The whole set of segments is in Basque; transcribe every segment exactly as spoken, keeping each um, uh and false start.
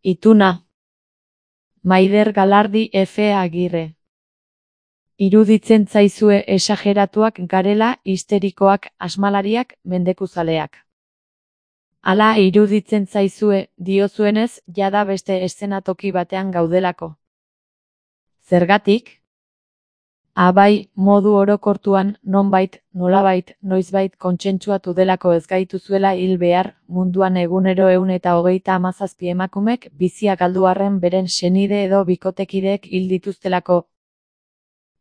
Ituna. Maider Galardi F. Agirre. Iruditzen zaizue esageratuak garela, histerikoak, asmalariak, mendekuzaleak. Hala iruditzen zaizue, diozuenez, jada beste eszenatoki batean gaudelako. Zergatik? Abai, modu orokortuan, nonbait, nolabait, noizbait kontsentsuatu delako ez gaituzuela hil behar, munduan egunero ehun eta hogeita hamazazpi emakumek bizia galdu arren beren senide edo bikotekideek hil dituztelako.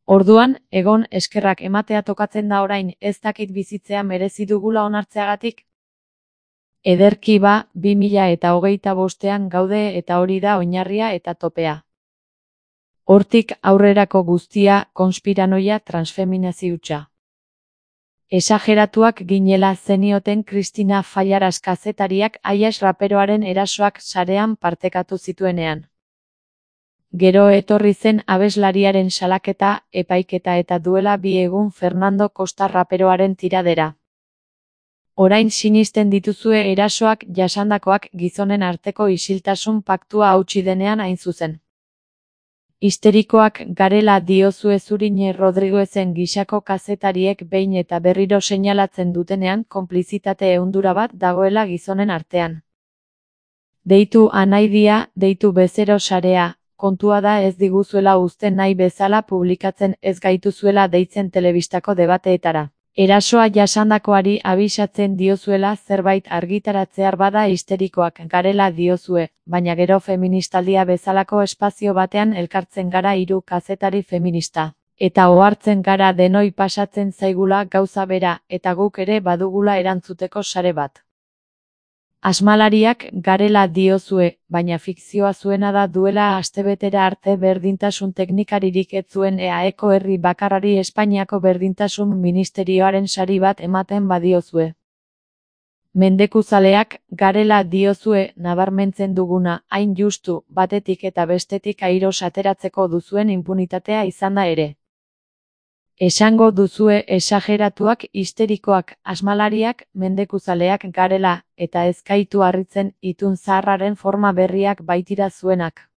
Orduan, egon eskerrak ematea tokatzen da orain, ez dakit bizitzea merezi dugula onartzeagatik? Ederki ba, bi mila eta hogeita bostean gaude eta hori da oinarria eta topea. Hortik aurrerako guztia, konspiranoia, transfeminazi hutsa. Esageratuak ginela zenioten Kristina Fallaras kazetariak Aias raperoaren erasoak sarean partekatu zituenean. Gero etorri zen abeslariaren salaketa, epaiketa eta duela bi egun Fernando Costa raperoaren tiradera. Orain sinisten dituzue erasoak jasandakoak gizonen arteko isiltasun paktua hautsi denean hain zuzen. Histerikoak garela diozue Zurine Rodriguezen gisako kazetariek behin eta berriro seinalatzen dutenean konplizitate ehundura bat dagoela gizonen artean. Deitu anaidia, deitu bezero sarea, kontua da ez diguzuela uzten nahi bezala publikatzen ez gaituzuela deitzen telebistako debateetara. Erasoa jasandakoari abisatzen diozuela zerbait argitaratzear bada histerikoak garela diozue, baina gero feministaldia bezalako espazio batean elkartzen gara hiru kazetari feminista. Eta ohartzen gara denoi pasatzen zaigula gauza bera, eta guk ere badugula erantzuteko sare bat. Asmalariak garela diozue, baina fikzioa zuena da duela astebetera arte berdintasun teknikaririk ez zuen E A Eko herri bakarrari Espainiako berdintasun ministerioaren sari bat ematen badiozue. Mendekuzaleak garela diozue nabarmentzen duguna, hain justu, batetik eta bestetik airos ateratzeko duzuen inpunitatea izan da ere. Esango duzue esageratuak, histerikoak, asmalariak, mendekuzaleak garela, eta ez gaitu harritzen itun zaharraren forma berriak baitira zuenak.